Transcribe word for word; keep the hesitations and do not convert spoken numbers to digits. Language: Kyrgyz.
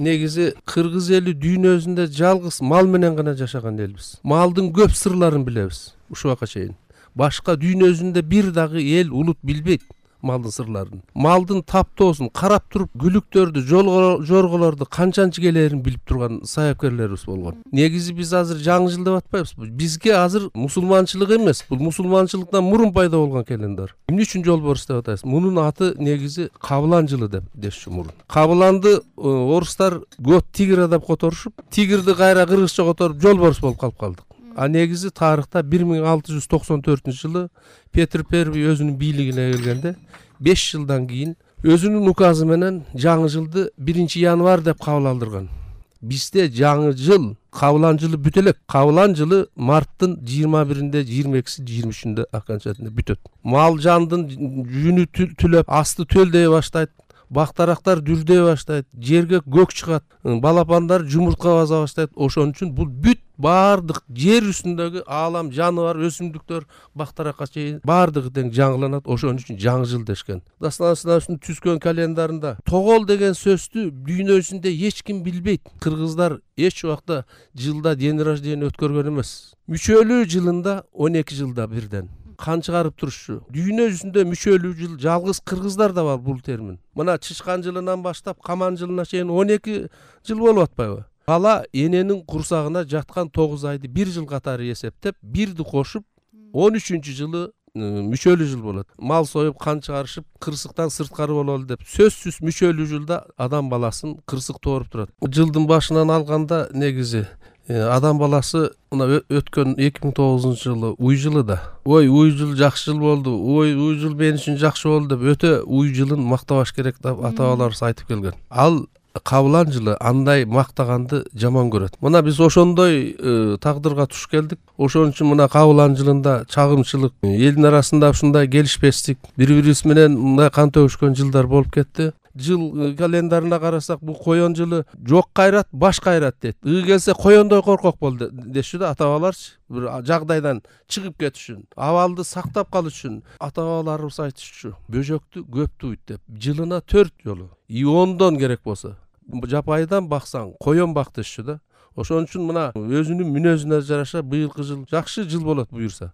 негизи кыргыз эли дүйнөсүндө жалгыз мал менен гана жашаган элбиз. Малдын көп сырларын билебиз ушуга чейин. Башка дүйнөсүндө бир дагы эл улут билбейт малдын сырларын. Малдын таптоосун карап туруп, күлүктөрдү, жорголорду канчанчы келерин билип турган саяпкерлерибиз болгон. Негизи биз азыр жаңы жыл деп атпайбыз. Бизге азыр мусулманчылык эмес, бул мусулманчылыктан мурун пайда болгон календар. Эмне үчүн жолборс деп атабыз? Мунун аты негизи Кабылан жылы деп дешчү мурун. Кабыланды орустар год тигра деп которушуп, тигирди кайра кыргызча которуп жолборс болуп калып калдык. А негизи тарыхта бир миң алты жүз токсон төртүнчү жылы Петр Первый өзүнүн бийлигине келгенде беш жылдан кийин өзүнүн указы менен жаңы жылды биринчи январь деп кабыл алдырган. Бизде жаңы жыл Кабылан жылы бүтө элек. Кабылан жылы марттын жыйырма биринде, жыйырма экиси, жыйырма үчүндө аканчатында бүтөт. Мал жандын жүнү түлөп, асты төлдөй баштайт. Бактарактар дүрдөй баштайт, жерге көк чыгат, балапандар жумуртка баса баштайт. Ошон үчүн бул бүт баардык жер үстүндөгү аалам, жаныбар, өсүмдүктөр, бактаракка чейин баардыгы тең жаңыланат. Ошон үчүн жаңы жыл дешкен. Дастан түзгөн календарында тогол деген сөздү дүйнөсүндө эч ким билбейт. Кыргыздар эч убакта жылда день рождения өткөргөн эмес. Мүчөлүү жылында он эки жылда бирден кан чыгарып турушчу. Дүйнө жүзүндө мүчөлүү жыл жалгыз кыргыздарда бар бул термин. Мына чычкан жылынан баштап каман жылына чейин он эки жыл болуп атпайбы? Бала эненин курсагына жаткан тогуз айды бир жыл катары эсептеп, бирди кошуп он үчүнчү жылы мүчөлүү жыл болот. Мал союп, кан чыгарышып, кырсыктан сырткары бололу деп сөзсүз мүчөлүү жылда адам баласын кырсык тооруп турат. Жылдын башынан алганда негизи адам баласы мына өткөн эки миң тогузунчу жылы уй жылы да. Ой, уй жыл жакшы жыл болду. Ой, уй жыл мен үчүн жакшы болду деп өтө уй жылын мактабаш керек деп ата-бабаларыбыз айтып келген. Ал Кабылан жылы андай мактаганды жаман көрөт. Мына биз ошондой тагдырга туш келдик. Ошон үчүн мына Кабылан жылында чагымчылык, элдин арасында ушундай келишпестик, бири-бирибиз менен мындай кан төгүшкөн жылдар болуп кетти. Жыл календарына карасак, бул коен жылы жок кайрат, баш кайрат дейт. Ыы келсе коендой коркок бол дешчү да ата-бабаларчы. Бир жагдайдан чыгып кетиш үчүн, абалды сактап калыш үчүн ата-бабаларыбыз айтышчу. Бөжөктү көп туйт деп, жылына төрт жолу. И ондон керек болсо. Жапайдан баксаң, коен бак дешчү да. Ошон үчүн мына өзүнүн мүнөзүнө жараша быйылкы жыл жакшы жыл болот буюрса.